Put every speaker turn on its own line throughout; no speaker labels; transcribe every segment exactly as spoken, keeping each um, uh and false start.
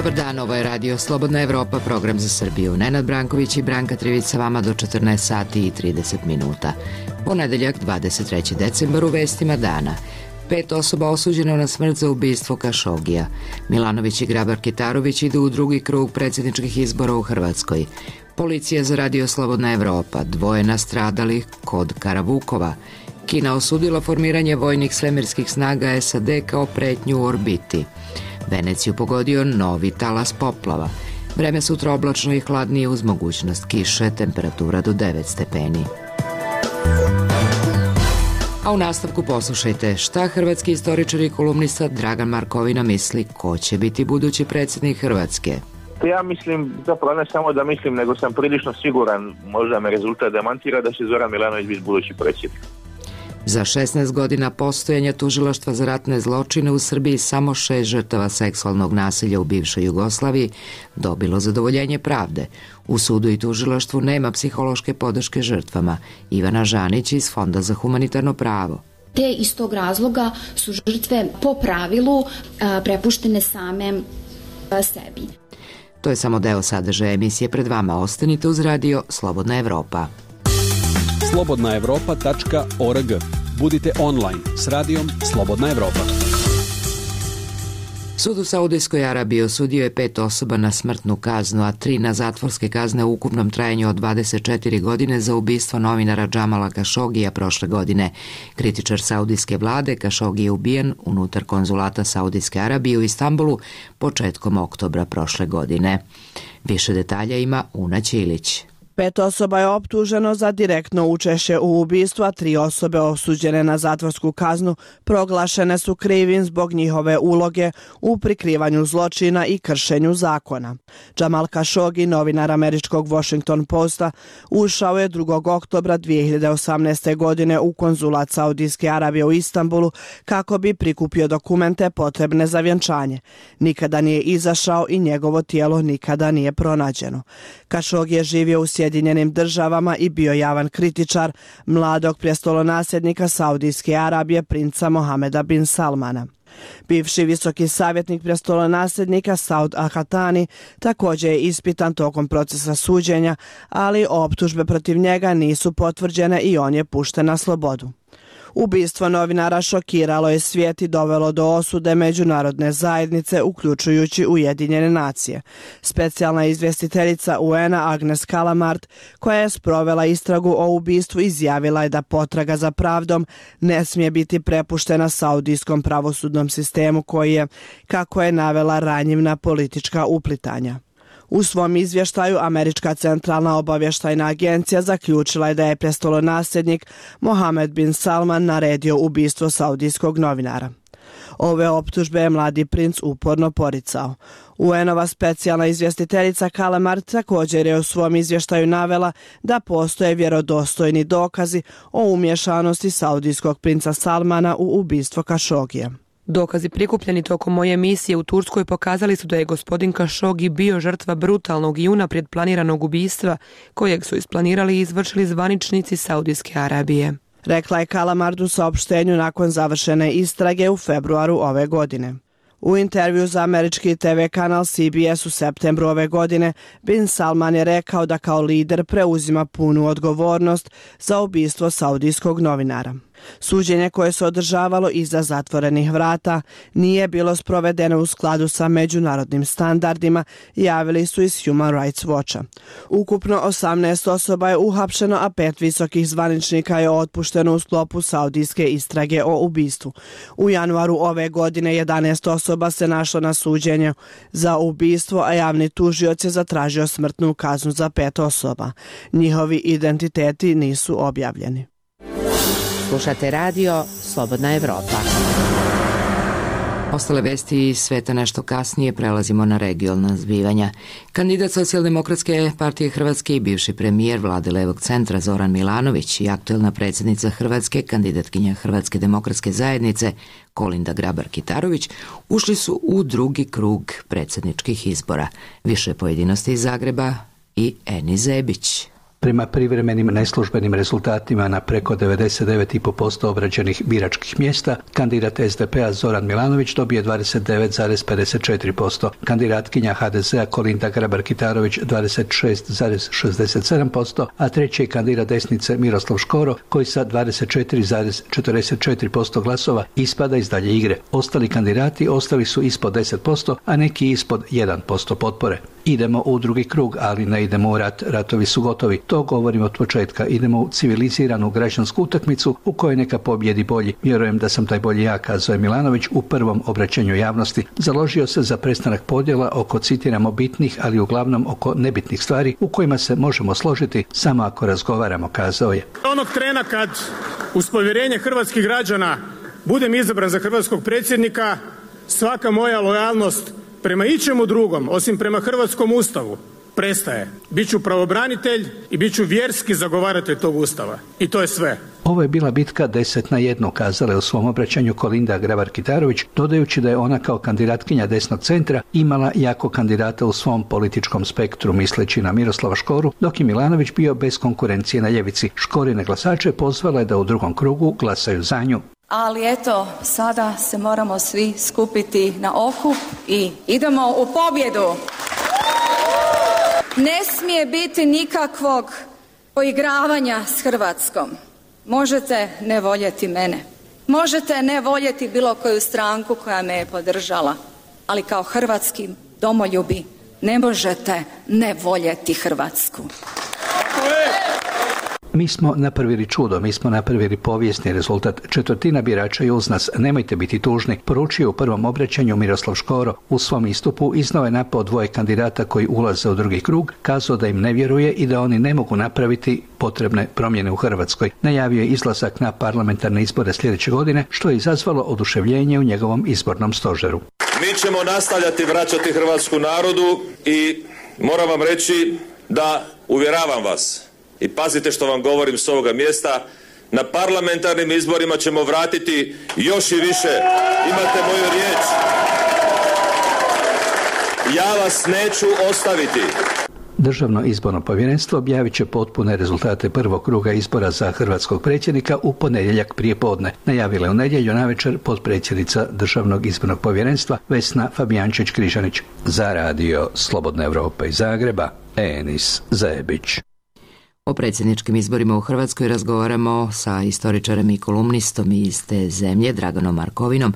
Dobar dan, ovo je Radio Slobodna Evropa, program za Srbiju. Nenad Branković i Branka Trivić sa vama do četrnaest sati i trideset minuta. Ponedeljak, dvadeset treći decembar, u vestima dana. Pet osoba osuđeno na smrt za ubistvo Kašogija. Milanović i Grabar-Kitarović idu u drugi krug predsjedničkih izbora u Hrvatskoj. Policija za Radio Slobodna Evropa, dvoje nastradalih kod Karavukova. Kina osudila formiranje vojnih svemirskih snaga S A D kao pretnju u orbiti. Veneciju pogodio novi talas poplava. Vreme sutra oblačno i hladnije uz mogućnost kiše, temperatura do devet stepeni. A u nastavku poslušajte šta hrvatski istoričar i kolumnista Dragan Markovina misli ko će biti budući predsjednik Hrvatske.
Ja mislim, zapravo ne samo da mislim, nego sam prilično siguran, možda me rezultat demantira, da će Zoran Milanović biti budući predsjednik.
Za šesnaest godina postojanja tužilaštva za ratne zločine u Srbiji samo šest žrtava seksualnog nasilja u bivšoj Jugoslaviji dobilo zadovoljenje pravde. U sudu i tužilaštvu nema psihološke podrške žrtvama. Ivana Žanić iz Fonda za humanitarno pravo.
Te iz tog razloga su žrtve po pravilu a, prepuštene same a, sebi.
To je samo deo sadržaja emisije pred vama. Ostanite uz Radio Slobodna Evropa.
slobodna evropa tačka org. Budite online s radijom Slobodna Evropa.
Sud u Saudijskoj Arabiji osudio je pet osoba na smrtnu kaznu, a tri na zatvorske kazne u ukupnom trajanju od dvadeset četiri godine za ubistvo novinara Džamala Kašogija prošle godine. Kritičar saudijske vlade Kašogi je ubijen unutar konzulata Saudijske Arabije u Istanbulu početkom oktobra prošle godine. Više detalja ima Una Ćilić.
Pet osoba je optuženo za direktno učešće u ubistvu, a tri osobe osuđene na zatvorsku kaznu proglašene su krivim zbog njihove uloge u prikrivanju zločina i kršenju zakona. Džamal Kašogi, novinar američkog Washington Posta, ušao je drugog oktobra dvije hiljade osamnaeste. godine u konzulat Saudijske Arabije u Istanbulu kako bi prikupio dokumente potrebne za vjenčanje. Nikada nije izašao i njegovo tijelo nikada nije pronađeno. Kašogi je živio u Sjedinjenim državama i bio javan kritičar mladog prestolonasljednika Saudijske Arabije, princa Mohameda bin Salmana. Bivši visoki savjetnik prestolonasljednika Saud Al-Hatani također je ispitan tokom procesa suđenja, ali optužbe protiv njega nisu potvrđene i on je pušten na slobodu. Ubistvo novinara šokiralo je svijet i dovelo do osude međunarodne zajednice, uključujući Ujedinjene nacije. Specijalna izvjestiteljica U N A Agnes Kalamart, koja je sprovela istragu o ubistvu, izjavila je da potraga za pravdom ne smije biti prepuštena saudijskom pravosudnom sistemu koji je, kako je navela, ranjiv na politička uplitanja. U svom izvještaju Američka centralna obavještajna agencija zaključila je da je prestolonasljednik Mohamed bin Salman naredio ubistvo saudijskog novinara. Ove optužbe je mladi princ uporno poricao. U N-ova specijalna izvjestiteljica Kalamart također je u svom izvještaju navela da postoje vjerodostojni dokazi o umješanosti saudijskog princa Salmana u ubistvo Kašogija.
Dokazi prikupljeni tokom moje misije u Turskoj pokazali su da je gospodin Kašogi bio žrtva brutalnog i unaprijed planiranog ubistva kojeg su isplanirali i izvršili zvaničnici Saudijske Arabije.
Rekla je Kalamard u saopštenju nakon završene istrage u februaru ove godine. U intervju za američki T V kanal C B S u septembru ove godine, bin Salman je rekao da kao lider preuzima punu odgovornost za ubistvo saudijskog novinara. Suđenje koje se održavalo iza zatvorenih vrata nije bilo sprovedeno u skladu sa međunarodnim standardima, javili su iz Human Rights Watcha. Ukupno osamnaest osoba je uhapšeno, a pet visokih zvaničnika je otpušteno u sklopu saudijske istrage o ubistvu. U januaru ove godine jedanaest osoba se našlo na suđenju za ubistvo, a javni tužioc je zatražio smrtnu kaznu za pet osoba. Njihovi identiteti nisu objavljeni.
Slušate Radio Slobodna Evropa. Ostale vesti iz sveta nešto kasnije, prelazimo na regionalna zbivanja. Kandidat Socijaldemokratske partije Hrvatske i bivši premijer Vlade Levog centra Zoran Milanović i aktuelna predsjednica Hrvatske, kandidatkinja Hrvatske demokratske zajednice Kolinda Grabar-Kitarović ušli su u drugi krug predsjedničkih izbora. Više pojedinosti iz Zagreba i Eni Zebić.
Prema privremenim neslužbenim rezultatima na preko devedeset devet zarez pet posto obrađenih biračkih mjesta, kandidat es de pe-a Zoran Milanović dobije dvadeset devet zarez pedeset četiri posto, kandidatkinja ha de ze-a Kolinda Grabar-Kitarović dvadeset šest zarez šezdeset sedam posto, a treći je kandidat desnice Miroslav Škoro koji sa dvadeset četiri zarez četrdeset četiri posto glasova ispada iz dalje igre. Ostali kandidati ostali su ispod deset posto, a neki ispod jedan posto potpore. Idemo u drugi krug, ali ne idemo u rat, ratovi su gotovi. To govorim od početka. Idemo u civiliziranu građansku utakmicu u kojoj neka pobjedi bolji. Vjerujem da sam taj bolji ja, kazao je Milanović u prvom obraćanju javnosti. Založio se za prestanak podjela oko, citiramo, bitnih, ali uglavnom oko nebitnih stvari u kojima se možemo složiti samo ako razgovaramo, kazao je.
Onog trena kad uz povjerenje hrvatskih građana budem izabran za hrvatskog predsjednika, svaka moja lojalnost prema ičemu drugom, osim prema hrvatskom ustavu, prestaje. Biću pravobranitelj i biću vjerski zagovaratelj tog ustava. I to je sve.
Ovo je bila bitka deset na jednu, kazala je u svom obraćanju Kolinda Grabar-Kitarović, dodajući da je ona kao kandidatkinja desnog centra imala jako kandidata u svom političkom spektru, misleći na Miroslava Škoru, dok je Milanović bio bez konkurencije na ljevici. Škorine glasače pozvala je da u drugom krugu glasaju za nju.
Ali eto, sada se moramo svi skupiti na okup i idemo u pobjedu. Ne smije biti nikakvog poigravanja s Hrvatskom. Možete ne voljeti mene. Možete ne voljeti bilo koju stranku koja me je podržala. Ali kao hrvatski domoljubi ne možete ne voljeti Hrvatsku.
Mi smo napravili čudo, mi smo napravili povijesni rezultat. Četvrtina birača je uz nas, nemojte biti tužni, poručio u prvom obraćanju Miroslav Škoro. U svom istupu iznao je napao dvoje kandidata koji ulaze u drugi krug, kazao da im ne vjeruje i da oni ne mogu napraviti potrebne promjene u Hrvatskoj. Najavio je izlazak na parlamentarne izbore sljedeće godine, što je izazvalo oduševljenje u njegovom izbornom stožeru.
Mi ćemo nastavljati vraćati hrvatsku narodu i moram vam reći da uvjeravam vas, i pazite što vam govorim s ovoga mjesta, na parlamentarnim izborima ćemo vratiti još i više. Imate moju riječ. Ja vas neću ostaviti.
Državno izborno povjerenstvo objavit će potpune rezultate prvog kruga izbora za hrvatskog predsjednika u ponedjeljak prije podne. Najavila je u nedjelju navečer potpredsjednica Državnog izbornog povjerenstva Vesna Fabijančić-Križanić. Za radio Slobodna Evropa iz Zagreba, Enis Zajebić.
O predsjedničkim izborima u Hrvatskoj razgovaramo sa istoričarem i kolumnistom iz te zemlje, Draganom Markovinom,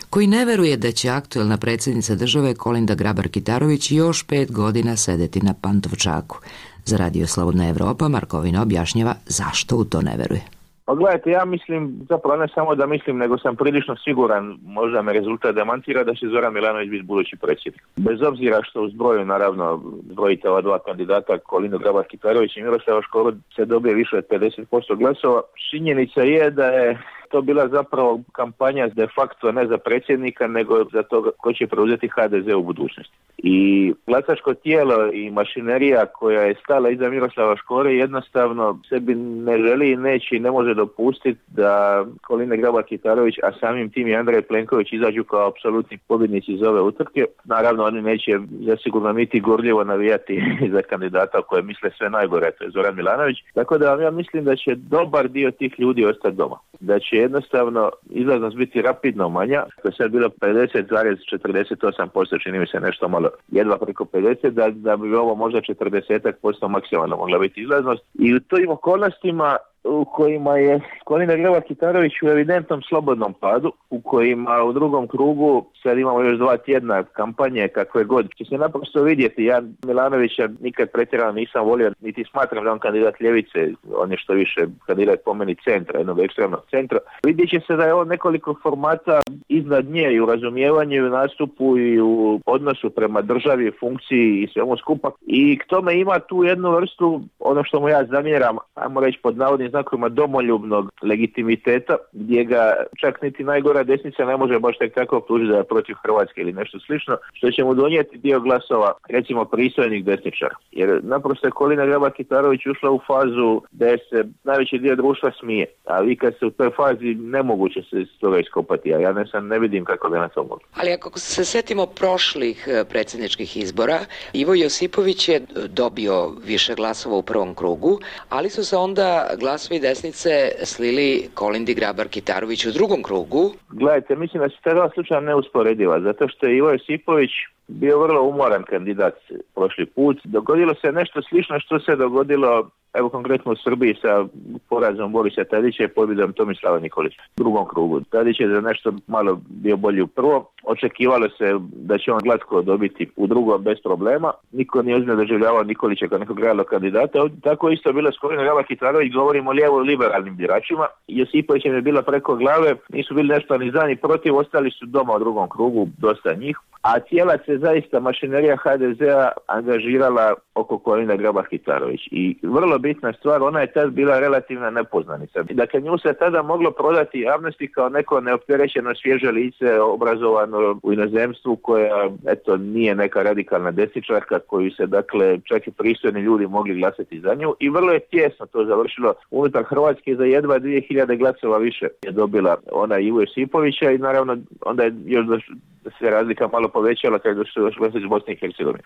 koji ne veruje da će aktuelna predsjednica države Kolinda Grabar-Kitarović još pet godina sedeti na Pantovčaku. Za radio Slobodna Evropa Markovina objašnjava zašto u to ne veruje.
Pa gledajte, ja mislim, zapravo ne samo da mislim, nego sam prilično siguran, možda me rezultat demantira, da će Zoran Milanović biti budući predsjednik. Bez obzira što u zbroju, naravno, zbrojite ova dva kandidata, Kolindu Grabar-Kitarović i Miroslava Škoru, se dobije više od pedeset posto glasova. Činjenica je da je to bila zapravo kampanja de facto ne za predsjednika, nego za to ko će preuzeti ha de ze u budućnosti. I glasačko tijelo i mašinerija koja je stala iza Miroslava Škore jednostavno sebi ne želi i neće i ne može dopustiti da Kolinda Grabar-Kitarović, a samim tim i Andrej Plenković izađu kao apsolutni pobjednici iz ove utrke. Naravno, oni neće zasigurno niti gorljivo navijati za kandidata koje misle sve najgore, to je Zoran Milanović. Tako da ja mislim da će dobar dio tih ljudi ostati doma. Da će jednostavno izlaznost biti rapidno manja, to je sad bilo pedeset zarez četrdeset osam posto, čini mi se nešto malo jedva preko pedeset, da, da bi ovo možda četrdeset posto maksimalno mogla biti izlaznost. I u tim okolnostima u kojima je Kolinda Grabar-Kitarović u evidentnom slobodnom padu, u kojima u drugom krugu sad imamo još dva tjedna kampanje kakve god, će se naprosto vidjeti. Ja Milanovića nikad pretjerano nisam volio, niti smatram da on kandidat ljevice, on je što više kandidat po meni centra, jednog ekstremnog centra. Vidjet će se da je on nekoliko formata iznad nje i u razumijevanju, i u nastupu, i u odnosu prema državi, funkciji i svemu skupa. I k tome ima tu jednu vrstu, ono što mu ja zamjeram, ajmo reći pod navodnim navodnim znakovima domoljubnog legitimiteta, gdje ga čak niti najgora desnica ne može baš tek tako optužiti da je protiv Hrvatske ili nešto slično, što će mu donijeti dio glasova, recimo pristojnih desničara. Jer naprosto je Kolinda Grabar-Kitarović ušla u fazu da se najveći dio društva smije, a vi kad ste u toj fazi nemoguće se s toga iskopati, a ja ne sam ne vidim kako da na to mogu.
Ali ako se setimo prošlih predsjedničkih izbora, Ivo Josipović je dobio više glasova u prvom krugu, ali su se onda glasovi desnice slili Kolindi Grabar-Kitarović u drugom krugu.
Gledajte, mislim da se ta dva slučaja neusporediva, zato što je Ivo Josipović bio vrlo umoran kandidat prošli put. Dogodilo se nešto slično što se dogodilo, evo konkretno u Srbiji sa porazom Borisa Tadića i pobjedom Tomislava Nikolića u drugom krugu. Tadić je za nešto malo bio bolji u prvom. Očekivalo se da će on glatko dobiti u drugom bez problema. Niko nije ozbiljno doživljavao Nikolića kao nekog realnog kandidata. Tako isto bilo s Kolindom Grabar-Kitarović, govorimo o lijevo liberalnim biračima. Josipović je bila preko glave, nisu bili nešto ni za ni protiv, ostali su doma u drugom krugu, dosta njih. A cijela se zaista mašinerija ha de zea angažirala oko Kolinde Grabar-Kitarović. I vrlo bitna stvar, ona je tad bila relativna nepoznanica. Dakle, nju se tada moglo prodati javnosti kao neko neopterećeno svježe lice, obrazovano u inozemstvu, koja, eto, nije neka radikalna desničarka koju se, dakle, čak i pristojni ljudi mogli glasati za nju. I vrlo je tjesno to završilo unutar Hrvatske, za jedva dvije hiljade glasova više je dobila ona Ivo Josipovića i naravno onda je još da se razlika malo povećala kada su još glasali iz Bosne i Hercegovine.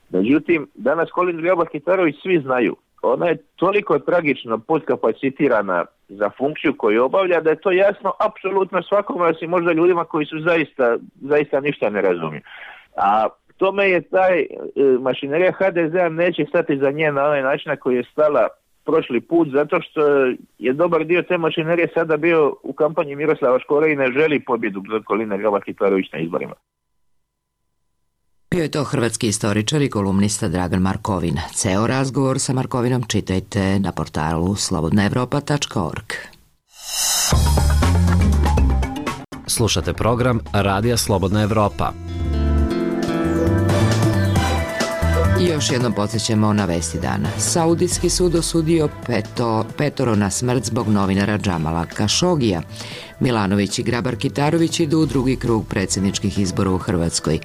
Međutim, danas Kolindu Grabar-Kitarović svi znaju. Ona je toliko tragično podkapacitirana za funkciju koju obavlja da je to jasno apsolutno svakome, osim možda ljudima koji su zaista, zaista ništa ne razumiju. A tome je taj e, mašinerija ha de zea neće stati za nje na onaj način na koji je stala prošli put, zato što je dobar dio te mašinerije sada bio u kampanji Miroslava Škore i ne želi pobjedu za Kolinde Grabar-Kitarović na izborima.
Bio je to hrvatski istoričar i kolumnista Dragan Markovin. Ceo razgovor sa Markovinom čitajte na portalu slobodna evropa tačka org.
Slušate program Radija Slobodna Evropa.
I još jednom podsjećamo na vesti dana. Saudijski sud osudio peto, petoro na smrt zbog novinara Džamala Kašogija. Milanović i Grabar-Kitarović idu u drugi krug predsjedničkih izbora u Hrvatskoj.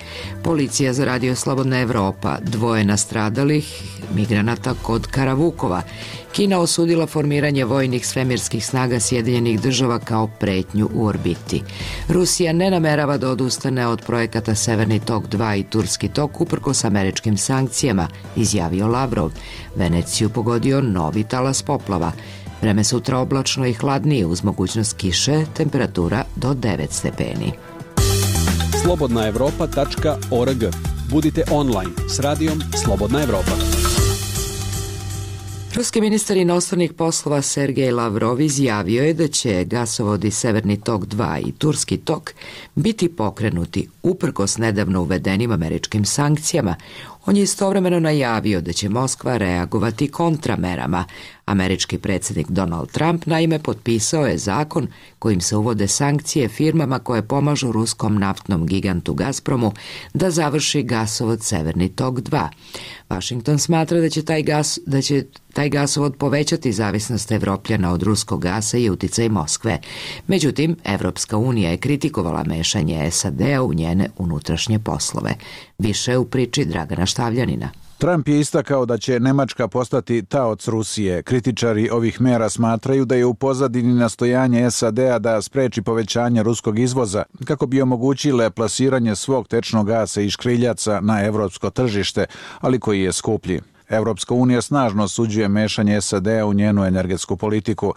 Policija za Radio Slobodna Evropa, dvoje nastradalih migranata kod Karavukova. Kina osudila formiranje vojnih svemirskih snaga Sjedinjenih država kao pretnju u orbiti. Rusija ne namerava da odustane od projekata Severni tok dva i Turski tok uprkos američkim sankcijama, izjavio Lavrov. Veneciju pogodio novi talas poplava. Vreme sutra oblačno i hladnije uz mogućnost kiše, temperatura do devet stepeni.
slobodna evropa tačka org. Budite online s radijom Slobodna Evropa.
Ruski ministar inostranih poslova Sergej Lavrov izjavio je da će gasovodi Severni tok dva i Turski tok biti pokrenuti uprkos nedavno uvedenim američkim sankcijama. On je istovremeno najavio da će Moskva reagovati kontramerama. Američki predsjednik Donald Trump naime potpisao je zakon kojim se uvode sankcije firmama koje pomažu ruskom naftnom gigantu Gazpromu da završi gasovod Severni tok dva. Washington smatra da će taj gas, da će taj gasovod povećati zavisnost Evropljana od ruskog gasa i uticaj Moskve. Međutim, Evropska unija je kritikovala mešanje es a de a u njene unutrašnje poslove. Više u priči Dragana Štavljanina.
Trump je istakao da će Nemačka postati taoc Rusije. Kritičari ovih mera smatraju da je u pozadini nastojanje es a de a da spreči povećanje ruskog izvoza kako bi omogućile plasiranje svog tečnog gasa i škriljaca na evropsko tržište, ali koji je skuplji. Evropska unija snažno osuđuje mešanje es a de a u njenu energetsku politiku.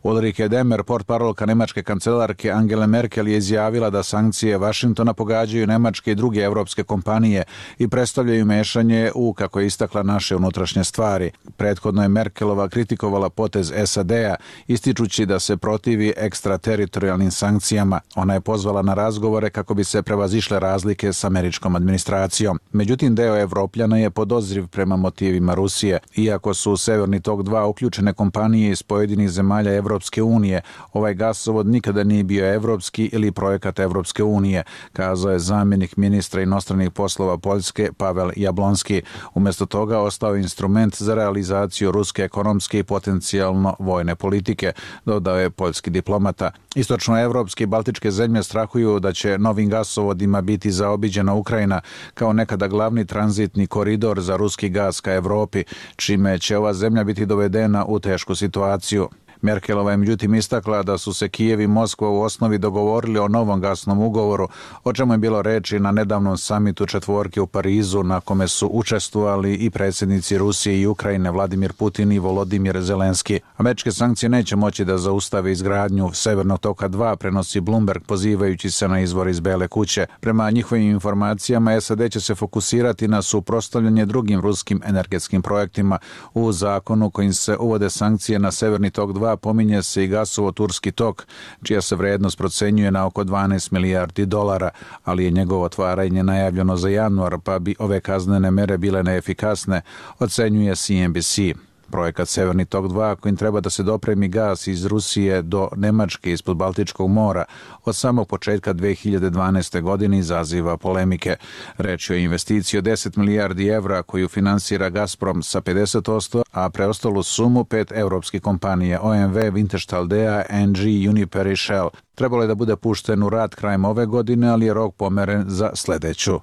Ulrike Demer, portparolka nemačke kancelarke Angele Merkel, je izjavila da sankcije Vašingtona pogađaju nemačke i druge evropske kompanije i predstavljaju mešanje u, kako je istakla, naše unutrašnje stvari. Prethodno je Merkelova kritikovala potez es a de a, ističući da se protivi ekstrateritorijalnim sankcijama. Ona je pozvala na razgovore kako bi se prevazišle razlike s američkom administracijom. Međutim, deo Evropljana je podozriv prema motivi ciljevima Rusije. Iako su u Severni tok dva uključene kompanije iz pojedinih zemalja Evropske unije, ovaj gasovod nikada nije bio evropski ili projekat Evropske unije, kazao je zamjenik ministra inostranih poslova Poljske Pavel Jablonski. Umjesto toga ostao je instrument za realizaciju ruske ekonomske i potencijalno vojne politike, dodao je poljski diplomata. Istočnoevropske i baltičke zemlje strahuju da će novim gasovodima biti zaobiđena Ukrajina kao nekada glavni tranzitni koridor za ruski gas ka Evropi, čime će ova zemlja biti dovedena u tešku situaciju. Merkelova je međutim istakla da su se Kijev i Moskva u osnovi dogovorili o novom gasnom ugovoru, o čemu je bilo reči na nedavnom samitu četvorke u Parizu, na kome su učestvovali i predsjednici Rusije i Ukrajine Vladimir Putin i Volodimir Zelenski. Američke sankcije neće moći da zaustave izgradnju Severnog toka dva, prenosi Bloomberg pozivajući se na izvor iz Bele kuće. Prema njihovim informacijama, S A D će se fokusirati na suprotstavljanje drugim ruskim energetskim projektima. U zakonu kojim se uvode sankcije na Severni tok dva pominje se i gasovod Turski tok, čija se vrednost procenjuje na oko dvanaest milijardi dolara, ali je njegovo otvaranje najavljeno za januar, pa bi ove kaznene mere bile neefikasne, ocenjuje C N B C. Projekat Severni tok dva, kojim treba da se dopremi gas iz Rusije do Nemačke ispod Baltičkog mora, od samog početka dve hiljade dvanaeste. godine izaziva polemike. Reč je o investiciji od deset milijardi evra koju finansira Gazprom sa pedeset posto, a preostalu sumu pet evropskih kompanije O M V, Wintershall Dea, N G, Uniper i Shell. Trebalo je da bude pušten u rad krajem ove godine, ali je rok pomeren za sledeću.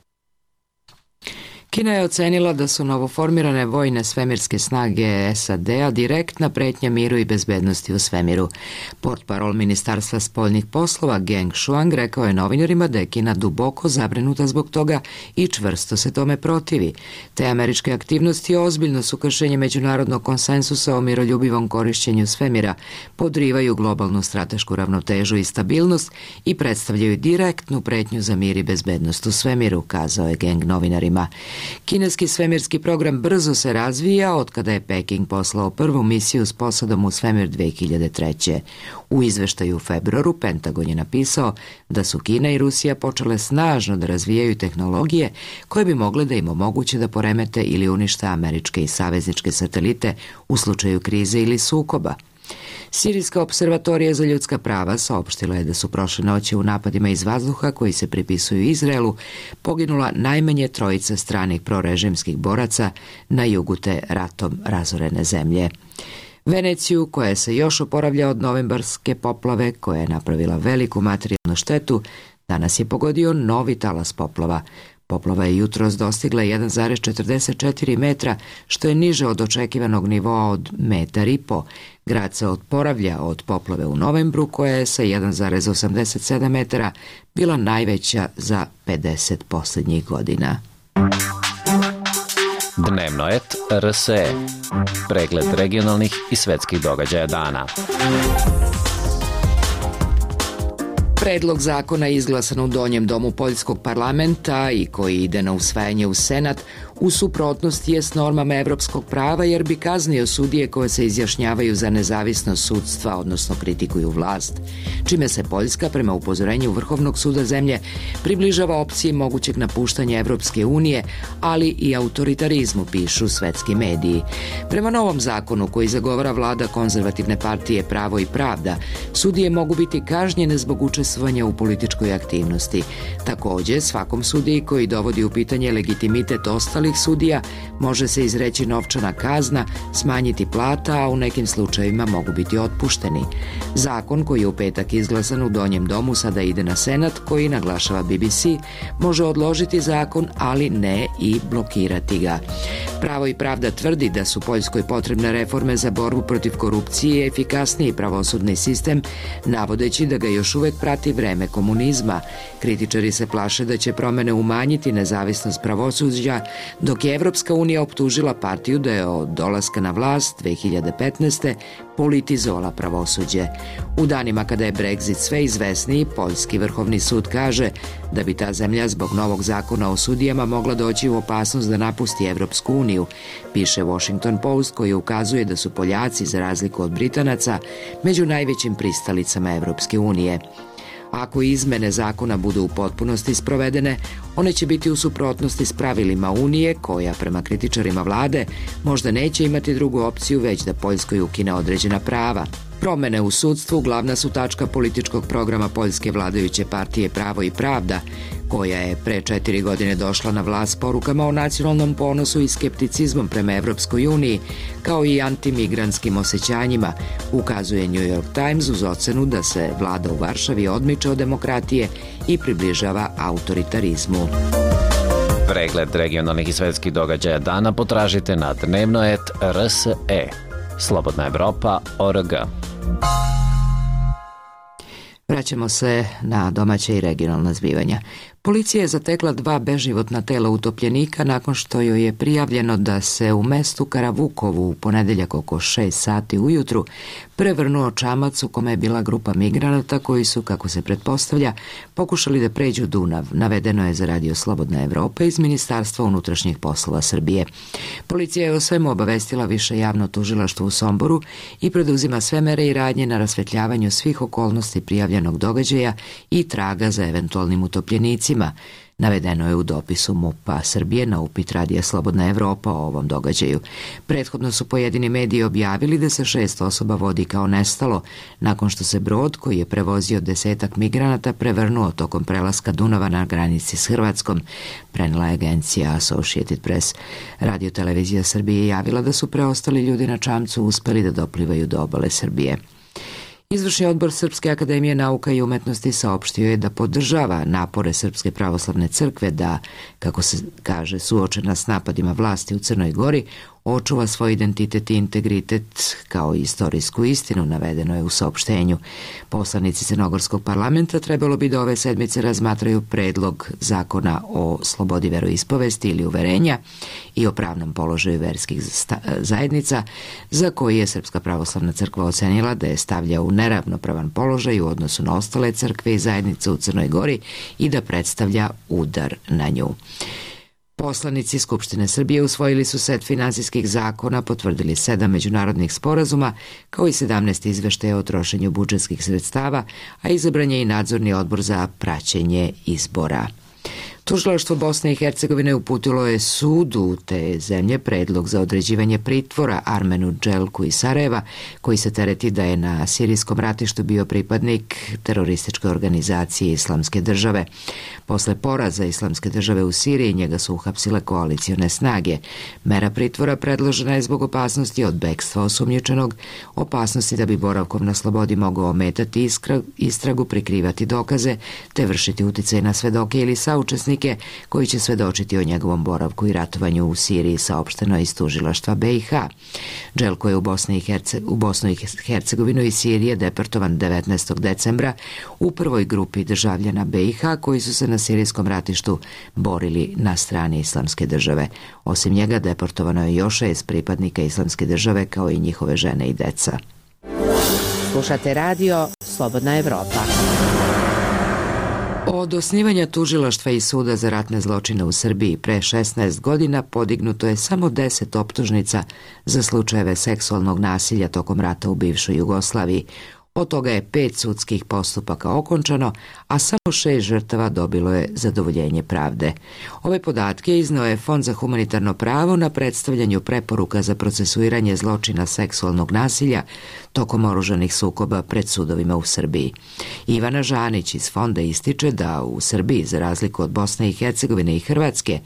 Kina je ocenila da su novoformirane vojne svemirske snage S A D-a direktna pretnja miru i bezbednosti u svemiru. Portparol Ministarstva spoljnih poslova Geng Shuang rekao je novinarima da je Kina duboko zabrinuta zbog toga i čvrsto se tome protivi. Te američke aktivnosti ozbiljno su kršenje međunarodnog konsensusa o miroljubivom korišćenju svemira, podrivaju globalnu stratešku ravnotežu i stabilnost i predstavljaju direktnu pretnju za mir i bezbednost u svemiru, kazao je Geng novinarima. Kineski svemirski program brzo se razvija od kada je Peking poslao prvu misiju s posadom u svemir dve hiljade treće. U izveštaju u februaru Pentagon je napisao da su Kina i Rusija počele snažno da razvijaju tehnologije koje bi mogle da im omoguće da poremete ili unište američke i savezničke satelite u slučaju krize ili sukoba. Sirijska observatorija za ljudska prava saopštila je da su prošle noći u napadima iz vazduha koji se pripisuju Izraelu poginula najmanje trojica stranih prorežimskih boraca na jugu te ratom razorene zemlje. Veneciju, koja se još oporavlja od novembarske poplave koja je napravila veliku materijalnu štetu, danas je pogodio novi talas poplava. Poplava je jutros dostigla jedan zarez četrdeset četiri metra, što je niže od očekivanog nivoa od metar i po. Grad se oporavlja od poplave u novembru, koja je sa jedan zarez osamdeset sedam metara bila najveća za pedeset posljednjih godina.
Dnevno et R S E. Pregled regionalnih i svetskih događaja dana.
Predlog zakona izglasan u donjem domu Poljskog parlamenta i koji ide na usvajanje u Senat u suprotnosti je s normama evropskog prava jer bi kaznio sudije koje se izjašnjavaju za nezavisnost sudstva, odnosno kritikuju vlast, čime se Poljska prema upozorenju Vrhovnog suda zemlje približava opciji mogućeg napuštanja Evropske unije, ali i autoritarizmu, pišu svetski mediji. Prema novom zakonu koji zagovara vlada konzervativne partije Pravo i pravda, sudije mogu biti kažnjene zbog učestvovanja u političkoj aktivnosti. Također, svakom sudiji koji dovodi u pitanje legitimitet ostalih sudija može se izreći novčana kazna, smanjiti plata, a u nekim slučajevima mogu biti otpušteni. Zakon koji je u petak izglasan u donjem domu sada ide na Senat, koji, naglašava B B C, može odložiti zakon, ali ne i blokirati ga. Pravo i pravda tvrdi da su Poljskoj potrebne reforme za borbu protiv korupcije i efikasniji pravosudni sistem, navodeći da ga još uvek prati vreme komunizma. Kritičari se plaše da će promene umanjiti nezavisnost pravosuđa, dok je Evropska unija optužila partiju da je od dolaska na vlast dve hiljade petnaeste. politizovala pravosuđe. U danima kada je Brexit sve izvesniji, Poljski vrhovni sud kaže da bi ta zemlja zbog novog zakona o sudijama mogla doći u opasnost da napusti Evropsku uniju, piše Washington Post, koji ukazuje da su Poljaci, za razliku od Britanaca, među najvećim pristalicama Evropske unije. Ako izmene zakona budu u potpunosti sprovedene, one će biti u suprotnosti s pravilima Unije, koja, prema kritičarima vlade, možda neće imati drugu opciju već da Poljskoj ukine određena prava. Promene u sudstvu glavna su tačka političkog programa poljske vladajuće partije Pravo i pravda, koja je pre četiri godine došla na vlast s porukama o nacionalnom ponosu i skepticizmom prema Evropskoj uniji, kao i antimigrantskim osjećanjima, ukazuje New York Times uz ocenu da se vlada u Varšavi odmiče od demokratije i približava autoritarizmu.
Pregled regionalnih i svetskih događaja dana potražite na dnevnoet R S E. Slobodna Evropa O R G.
Vraćamo se na domaće i regionalna zbivanja. Policija je zatekla dva beživotna tela utopljenika nakon što joj je prijavljeno da se u mestu Karavukovu u ponedeljak oko šest sati ujutru prevrnuo čamac u kome je bila grupa migranata koji su, kako se pretpostavlja, pokušali da pređu Dunav, navedeno je za radio Slobodna Evropa iz Ministarstva unutrašnjih poslova Srbije. Policija je o svemu obavestila više javno tužilaštvo u Somboru i preduzima sve mere i radnje na rasvetljavanju svih okolnosti prijavljenog događaja i traga za eventualnim utopljenicima. Navedeno je u dopisu MUP-a Srbije na upit radija Slobodna Evropa o ovom događaju. Prethodno su pojedini mediji objavili da se šest osoba vodi kao nestalo, nakon što se brod koji je prevozio desetak migranata prevrnuo tokom prelaska Dunava na granici s Hrvatskom, prenela je agencija Associated Press. Radio televizija Srbije je javila da su preostali ljudi na čamcu uspeli da doplivaju do obale Srbije. Izvršni odbor Srpske akademije nauka i umetnosti saopštio je da podržava napore Srpske pravoslavne crkve da, kako se kaže, suočena s napadima vlasti u Crnoj Gori, očuva svoj identitet i integritet kao i istorijsku istinu, navedeno je u saopštenju. Poslanici Crnogorskog parlamenta trebalo bi da ove sedmice razmatraju predlog zakona o slobodi veroispovesti ili uverenja i o pravnom položaju verskih zajednica, za koji je Srpska pravoslavna crkva ocenila da je stavlja u neravnopravan položaj u odnosu na ostale crkve i zajednice u Crnoj Gori i da predstavlja udar na nju. Poslanici Skupštine Srbije usvojili su set finansijskih zakona, potvrdili sedam međunarodnih sporazuma, kao i sedamnaest izveštaja o trošenju budžetskih sredstava, a izabran je i nadzorni odbor za praćenje izbora. Tužilaštvo Bosne i Hercegovine uputilo je sudu te zemlje predlog za određivanje pritvora Armenu Dželku iz Sarajeva, koji se tereti da je na sirijskom ratištu bio pripadnik terorističke organizacije Islamske države. Posle poraza Islamske države u Siriji njega su uhapsile koalicione snage. Mera pritvora predložena je zbog opasnosti od bekstva osumnjičenog, opasnosti da bi boravkom na slobodi mogao ometati istragu, prikrivati dokaze, te vršiti uticaj na svedoke ili saučesnike koji će svedočiti o njegovom boravku i ratovanju u Siriji, saopšteno iz tužilaštva B i H. Dželko je u, Bosni i Herce, u Bosnu i Hercegovinu i Sirije deportovan devetnaestog decembra u prvoj grupi državljana B i H koji su se na sirijskom ratištu borili na strani Islamske države. Osim njega deportovano je još šest pripadnika Islamske države kao i njihove žene i deca.
Slušate radio Slobodna Evropa.
Od osnivanja tužilaštva i suda za ratne zločine u Srbiji pre šesnaest godina podignuto je samo deset optužnica za slučajeve seksualnog nasilja tokom rata u bivšoj Jugoslaviji. Od toga je pet sudskih postupaka okončano, a samo šest žrtava dobilo je zadovoljenje pravde. Ove podatke izneo je Fond za humanitarno pravo na predstavljanju preporuka za procesuiranje zločina seksualnog nasilja tokom oružanih sukoba pred sudovima u Srbiji. Ivana Žanić iz Fonda ističe da u Srbiji, za razliku od Bosne i Hercegovine i Hrvatske,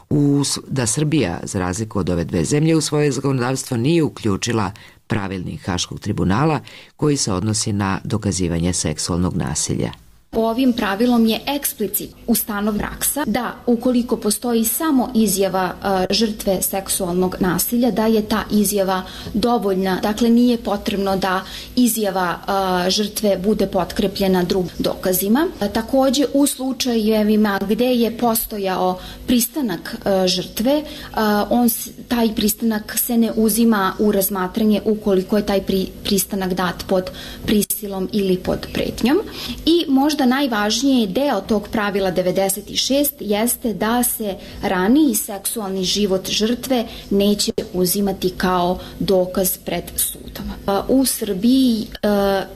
u, da Srbija, za razliku od ove dve zemlje, u svoje zakonodavstvo nije uključila pravilnik Haškog tribunala koji se odnosi na dokazivanje seksualnog nasilja.
Ovim pravilom je eksplicit ustanov praksa da ukoliko postoji samo izjava uh, žrtve seksualnog nasilja, da je ta izjava dovoljna. Dakle, nije potrebno da izjava uh, žrtve bude potkrepljena drugim dokazima. A, takođe, u slučajevima gde je postojao pristanak uh, žrtve, uh, on, taj pristanak se ne uzima u razmatranje ukoliko je taj pri, pristanak dat pod prisilom ili pod pretnjom. I možda najvažniji deo tog pravila devedeset šest jeste da se raniji seksualni život žrtve neće uzimati kao dokaz pred sudom. U Srbiji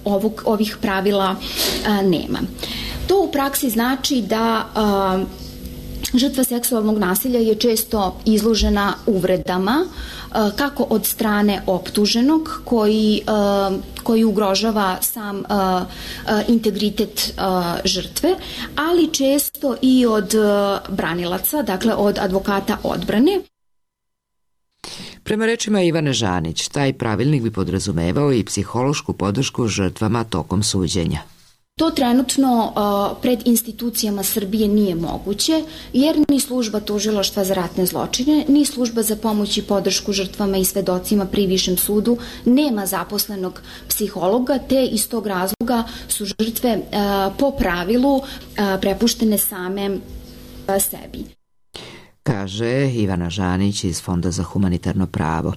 ovog, ovih pravila nema. To u praksi znači da a, žrtva seksualnog nasilja je često izložena uvredama, kako od strane optuženog koji, koji ugrožava sam integritet žrtve, ali često i od branilaca, dakle od advokata odbrane.
Prema rečima Ivane Žanić, taj pravilnik bi podrazumevao i psihološku podršku žrtvama tokom suđenja.
To trenutno uh, pred institucijama Srbije nije moguće, jer ni služba tužilaštva za ratne zločine, ni služba za pomoć i podršku žrtvama i svedocima pri Višem sudu nema zaposlenog psihologa, te iz tog razloga su žrtve uh, po pravilu uh, prepuštene same uh, sebi.
Kaže Ivana Žanić iz Fonda za humanitarno pravo.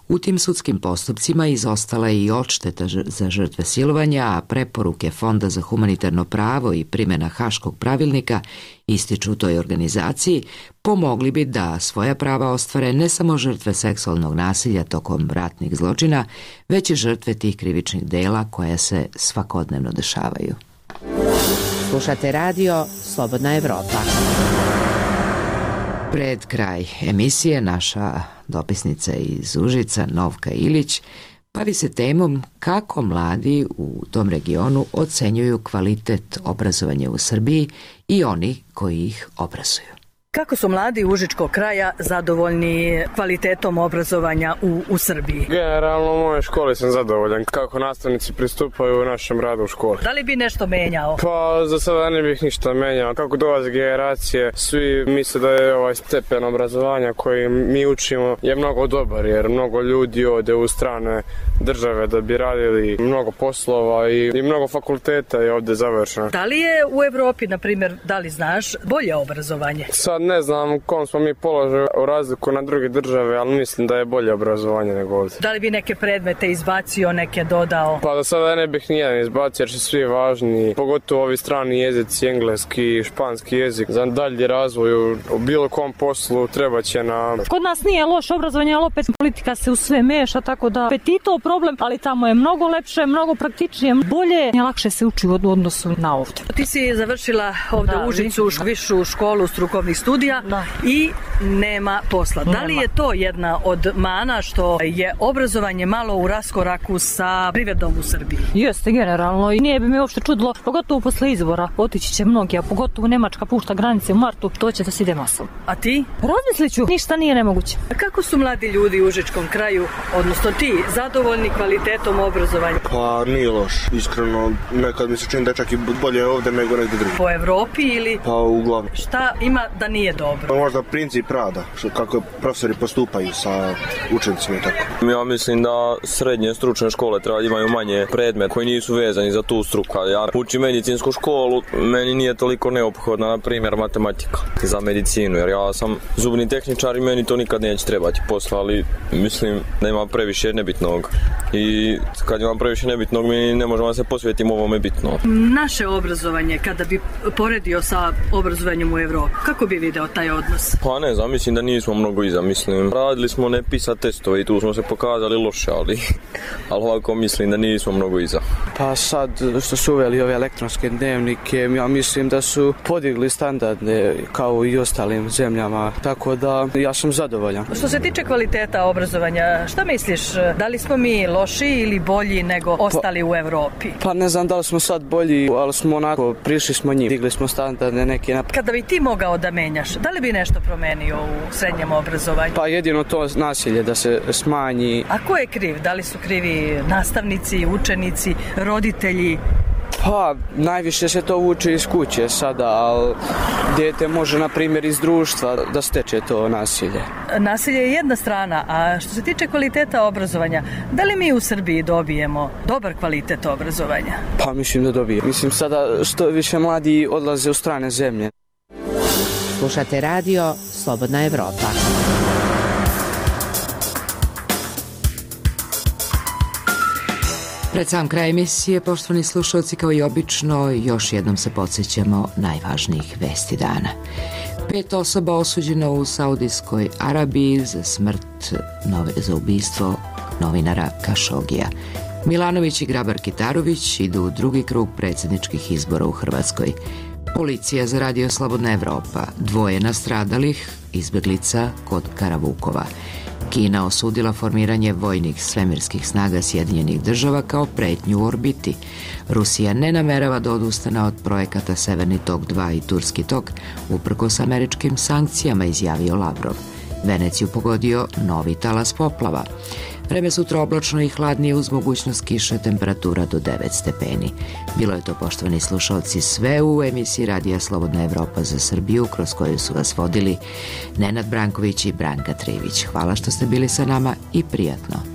U tim sudskim postupcima izostala je i odšteta za žrtve silovanja, a preporuke Fonda za humanitarno pravo i primjena Haškog pravilnika ističu u toj organizaciji, pomogli bi da svoja prava ostvare ne samo žrtve seksualnog nasilja tokom ratnih zločina, već i žrtve tih krivičnih dela koja se svakodnevno dešavaju.
Slušate radio Slobodna Evropa.
Pred kraj emisije naša dopisnica iz Užica, Novka Ilić, bavi se temom kako mladi u tom regionu ocenjuju kvalitet obrazovanja u Srbiji i oni koji ih obrazuju.
Kako su mladi užičkog kraja zadovoljni kvalitetom obrazovanja u, u Srbiji?
Generalno u mojoj školi sam zadovoljan kako nastavnici pristupaju u našem radu u školi.
Da li bi nešto menjao?
Pa za sada ne bih ništa menjao. Kako dolaze generacije, svi misle da je ovaj stepen obrazovanja koji mi učimo je mnogo dobar, jer mnogo ljudi ode u strane države da bi radili mnogo poslova i, i mnogo fakulteta je ovde završeno.
Da li je u Evropi, na primjer, da li znaš, bolje obrazovanje?
Sad ne znam u kom smo mi položaju u razliku na druge države, ali mislim da je bolje obrazovanje nego ovdje.
Da li bi neke predmete izbacio, neke dodao?
Pa do sada ne bih nijedan izbacio jer su svi važni, pogotovo ovi strani jezici, engleski, španski jezik. Za dalji razvoj u bilo kom poslu treba će nam...
Kod nas nije loše obrazovanje, ali opet politika se u sve meša, tako da opet i to problem, ali tamo je mnogo lepše, mnogo praktičnije, bolje i lakše se uči u odnosu na ovdje.
Ti si završila ovdje u Užicu višu školu strukovnih studija Da. i nema posla. Nema. Da li je to jedna od mana što je obrazovanje malo u raskoraku sa privredom u Srbiji?
Jeste, generalno. I nije bi me uopšte čudilo, pogotovo posle izbora. Otići će mnogi, a pogotovo Nemačka pušta granice u martu, to će da se ide masovno.
A ti?
Razmislit ću. Ništa nije nemoguće.
A kako su mladi ljudi u Užičkom kraju, odnosno ti, zadovoljni kvalitetom obrazovanja?
Pa nije loš. Iskreno, nekad mi se čini da čak i bolje ovde nego negdje drugi.
Po Evropi ili?
Pa uglavnom.
Šta ima da nije dobro?
Pa možda princip rada, što kako profesori postupaju sa učenicima i tako.
Ja mislim da srednje stručne škole treba imaju manje predmeta koji nisu vezani za tu struku. Ja učim medicinsku školu, meni nije toliko neophodna, na primjer, matematika za medicinu, jer ja sam zubni tehničar i meni to nikad neće trebati posla, ali mislim da ima previše nebitnog. I kad imam previše nebitnog, mi ne možemo da se posvetiti ovome bitno.
Naše obrazovanje, kada bi poredio sa obrazovanjem u Evropi, kako bi video taj odnos?
Pa ne znam, mislim da nismo mnogo iza, mislim. Radili smo ne PISA testove i tu smo se pokazali loše, ali, ali ovako mislim da nismo mnogo iza.
Pa sad što su uveli ove elektronske dnevnike, ja mislim da su podigli standarde kao i ostalim zemljama, tako da ja sam zadovoljan.
Što se tiče kvaliteta obrazovanja, šta misliš, da li smo mi loši ili bolji nego ostali pa, u Evropi?
Pa ne znam da li smo sad bolji, ali smo onako, prišli smo njim, digli smo standarde neke.
Kada bi ti mogao da menjaš, da li bi nešto promenio u srednjem obrazovanju?
Pa jedino to nasilje da se smanji.
A ko je kriv? Da li su krivi nastavnici, učenici, roditelji?
Pa, najviše se to uči iz kuće sada, ali dijete može, na primjer, iz društva da steče to nasilje.
Nasilje je jedna strana, a što se tiče kvaliteta obrazovanja, da li mi u Srbiji dobijemo dobar kvalitet obrazovanja?
Pa, mislim da dobijemo. Mislim sada što više mladi odlaze u strane zemlje.
Slušate radio Slobodna Evropa.
Pred sam kraj emisije, poštovani slušalci, kao i obično, još jednom se podsjećamo najvažnijih vesti dana. Pet osoba osuđeno u Saudijskoj Arabiji za smrt, nove, za ubistvo novinara Kašogija. Milanović i Grabar-Kitarović idu u drugi krug predsjedničkih izbora u Hrvatskoj. Policija za Radio Slobodna Evropa, dvoje nastradalih, izbjeglica kod Karavukova. Kina osudila formiranje vojnih svemirskih snaga Sjedinjenih država kao pretnju u orbiti. Rusija ne namerava da odustane od projekata Severni tok dva i Turski tok, uprkos američkim sankcijama, izjavio Lavrov. Veneciju pogodio novi talas poplava. Vreme sutra oblačno i hladnije uz mogućnost kiše, temperatura do devet stepeni. Bilo je to, poštovani slušalci, sve u emisiji Radija Slobodna Evropa za Srbiju, kroz koju su vas vodili Nenad Branković i Branka Trivić. Hvala što ste bili sa nama i prijatno.